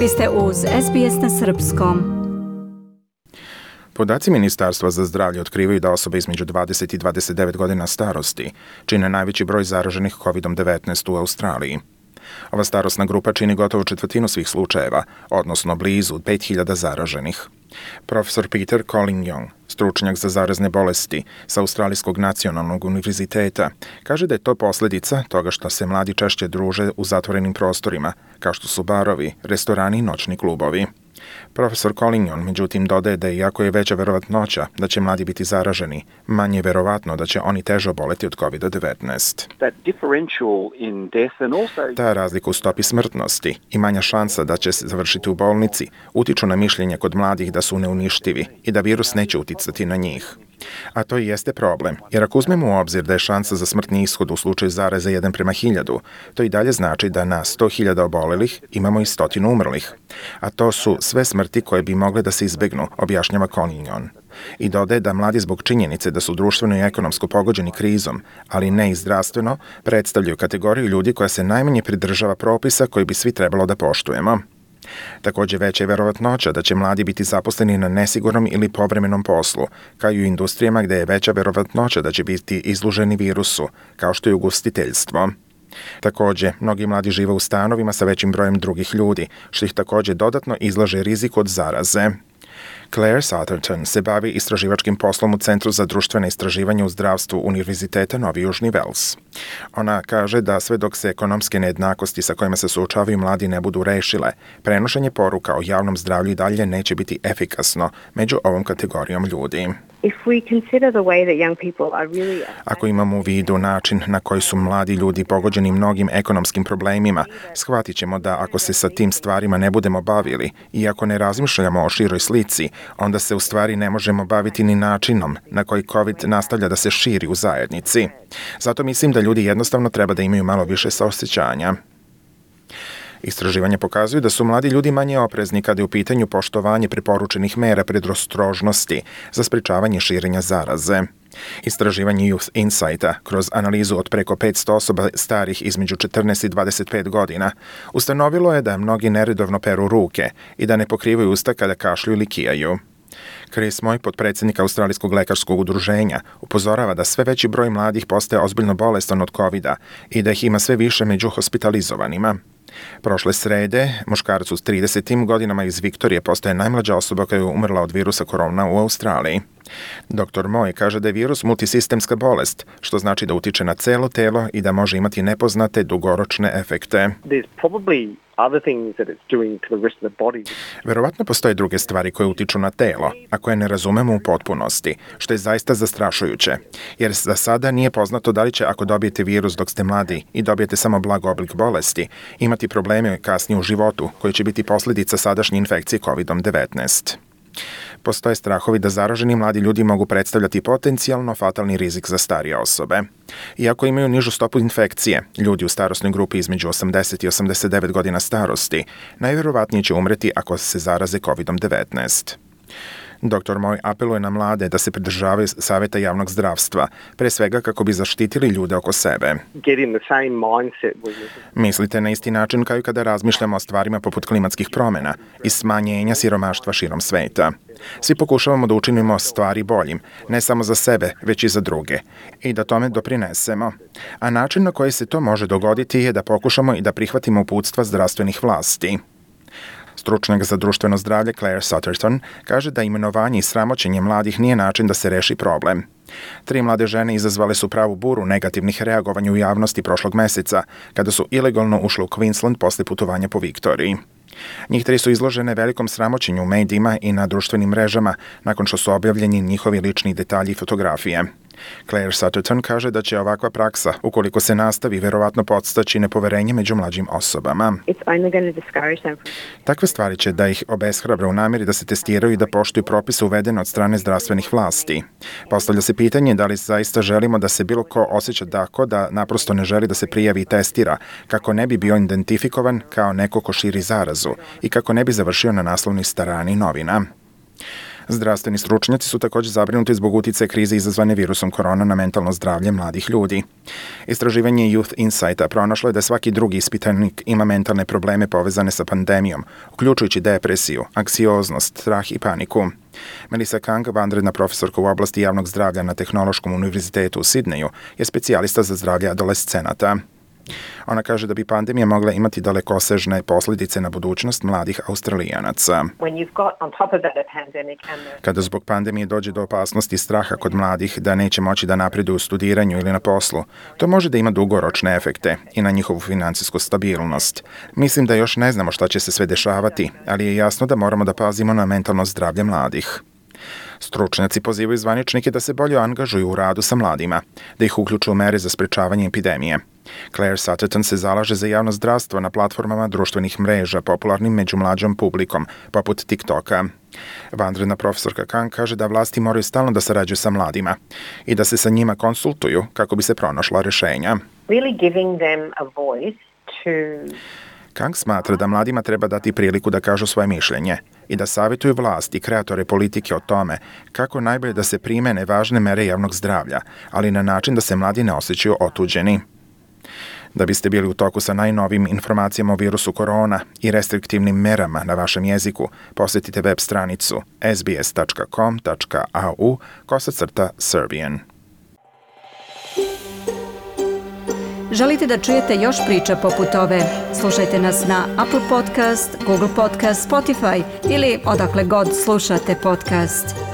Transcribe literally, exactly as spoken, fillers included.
Vi ste uz S B S na srpskom. Podaci Ministarstva za zdravlje otkrivaju da osobe između dvadeset i dvadeset devet godina starosti čine najveći broj zaraženih kovid devetnaest u Australiji. Ova starosna grupa čini gotovo četvrtinu svih slučajeva, odnosno blizu pet hiljada zaraženih. Profesor Peter Collingham, stručnjak za zarazne bolesti sa Australijskog nacionalnog univerziteta, kaže da je to posljedica toga što se mladi češće druže u zatvorenim prostorima, kao što su barovi, restorani i noćni klubovi. Profesor Collingham, međutim, dodaje da iako je veća verovatnoća da će mladi biti zaraženi, manje je verovatno da će oni teže oboleti od kovid devetnaest. Ta razlika u stopi smrtnosti i manja šansa da će se završiti u bolnici utiču na mišljenje kod mladih da su neuništivi i da virus neće uticati na njih. A to i jeste problem, jer ako uzmemo u obzir da je šansa za smrtni ishod u slučaju zaraze jedan prema hiljadu, to i dalje znači da na sto hiljada obolelih imamo i stotinu umrlih. A to su sve smrti koje bi mogle da se izbegnu, objašnjava Collingham. I dodaje da mladi zbog činjenice da su društveno i ekonomsko pogođeni krizom, ali ne i zdravstveno, predstavljaju kategoriju ljudi koja se najmanje pridržava propisa koji bi svi trebalo da poštujemo. Također veća je verovatnoća da će mladi biti zaposleni na nesigurnom ili povremenom poslu, kao i u industrijama gdje je veća verovatnoća da će biti izloženi virusu, kao što je ugostiteljstvo. Također, mnogi mladi žive u stanovima sa većim brojem drugih ljudi, što ih također dodatno izlaže riziku od zaraze. Claire Sutherton se bavi istraživačkim poslom u Centru za društvene istraživanje u zdravstvu Univerziteta Novi Južni Wales. Ona kaže da sve dok se ekonomske nejednakosti sa kojima se suočavaju mladi ne budu rešile, prenošenje poruka o javnom zdravlju i dalje neće biti efikasno među ovom kategorijom ljudi. Ako imamo u vidu način na koji su mladi ljudi pogođeni mnogim ekonomskim problemima, shvatit ćemo da ako se sa tim stvarima ne budemo bavili i ako ne razmišljamo o široj slici, onda se u stvari ne možemo baviti ni načinom na koji COVID nastavlja da se širi u zajednici. Zato mislim da ljudi jednostavno treba da imaju malo više saosećanja. Istraživanja pokazuju da su mladi ljudi manje oprezni kada je u pitanju poštovanje preporučenih mera predostrožnosti za sprečavanje širenja zaraze. Istraživanje Youth Insighta kroz analizu od preko petsto osoba starih između četrnaest i dvadeset pet godina ustanovilo je da mnogi neredovno peru ruke i da ne pokrivaju usta kada kašlju ili kijaju. Chris Moy, potpredsjednik Australijskog lekarskog udruženja, upozorava da sve veći broj mladih postaje ozbiljno bolestan od kovida i da ih ima sve više među hospitalizovanima. Prošle srede, muškarac u tridesetim godinama iz Viktorije postaje najmlađa osoba koja je umrla od virusa korona u Australiji. doktor Moy kaže da je virus multisistemska bolest, što znači da utiče na celo telo i da može imati nepoznate dugoročne efekte. Verovatno postoje druge stvari koje utiču na telo, a koje ne razumemo u potpunosti, što je zaista zastrašujuće, jer za sada nije poznato da li će ako dobijete virus dok ste mladi i dobijete samo blag oblik bolesti, imati probleme kasnije u životu koji će biti posljedica sadašnje infekcije kovid devetnaest. Postoje strahovi da zaraženi mladi ljudi mogu predstavljati potencijalno fatalni rizik za starije osobe. Iako imaju nižu stopu infekcije, ljudi u starosnoj grupi između osamdeset i osamdeset devet godina starosti najvjerovatnije će umreti ako se zaraze kovid devetnaest. doktor Moy apeluje na mlade da se pridržavaju savjeta javnog zdravstva, pre svega kako bi zaštitili ljude oko sebe. Mislite na isti način kao i kada razmišljamo o stvarima poput klimatskih promjena i smanjenja siromaštva širom sveta. Svi pokušavamo da učinimo stvari boljim, ne samo za sebe, već i za druge, i da tome doprinesemo. A način na koji se to može dogoditi je da pokušamo i da prihvatimo uputstva zdravstvenih vlasti. Stručnjak za društveno zdravlje Claire Sutherton kaže da imenovanje i sramoćenje mladih nije način da se reši problem. Tri mlade žene izazvale su pravu buru negativnih reagovanja u javnosti prošlog meseca, kada su ilegalno ušle u Queensland posle putovanja po Viktoriji. Njih tri su izložene velikom sramoćenju u medijima i na društvenim mrežama nakon što su objavljeni njihovi lični detalji i fotografije. Claire Sutherton kaže da će ovakva praksa, ukoliko se nastavi, verovatno podstaći nepoverenje među mlađim osobama. Takve stvari će da ih obeshrabre u namjeri da se testiraju i da poštuju propise uvedene od strane zdravstvenih vlasti. Postavlja se pitanje da li zaista želimo da se bilo ko osjeća tako da naprosto ne želi da se prijavi i testira, kako ne bi bio identifikovan kao neko ko širi zarazu i kako ne bi završio na naslovnoj strani novina. Zdravstveni stručnjaci su također zabrinuti zbog uticaja krize izazvane virusom korona na mentalno zdravlje mladih ljudi. Istraživanje Youth Insighta pronašlo je da svaki drugi ispitanik ima mentalne probleme povezane sa pandemijom, uključujući depresiju, anksioznost, strah i paniku. Melissa Kang, vanredna profesorka u oblasti javnog zdravlja na Tehnološkom univerzitetu u Sidneju, je specijalista za zdravlje adolescenata. Ona kaže da bi pandemija mogla imati dalekosežne posljedice na budućnost mladih Australijanaca. Kada zbog pandemije dođe do opasnosti i straha kod mladih da neće moći da napreduju u studiranju ili na poslu, to može da ima dugoročne efekte i na njihovu financijsku stabilnost. Mislim da još ne znamo šta će se sve dešavati, ali je jasno da moramo da pazimo na mentalno zdravlje mladih. Stručnjaci pozivaju zvaničnike da se bolje angažuju u radu sa mladima, da ih uključu u mere za sprečavanje epidemije. Claire Sutherton se zalaže za javno zdravstvo na platformama društvenih mreža popularnim među mlađom publikom, poput TikToka. Vanredna profesorka Kang kaže da vlasti moraju stalno da sarađuju sa mladima i da se sa njima konsultuju kako bi se pronašla rešenja. Really giving them a voice to... Kang smatra da mladima treba dati priliku da kažu svoje mišljenje i da savjetuju vlast i kreatore politike o tome kako najbolje da se primene važne mere javnog zdravlja, ali na način da se mladi ne osjećaju otuđeni. Da biste bili u toku sa najnovim informacijama o virusu korona i restriktivnim merama na vašem jeziku, posjetite web stranicu s b s tačka com tačka a u kosacrta Serbian. Želite da čujete još priča poput ove? Slušajte nas na Apple Podcast, Google Podcast, Spotify ili odakle god slušate podcast.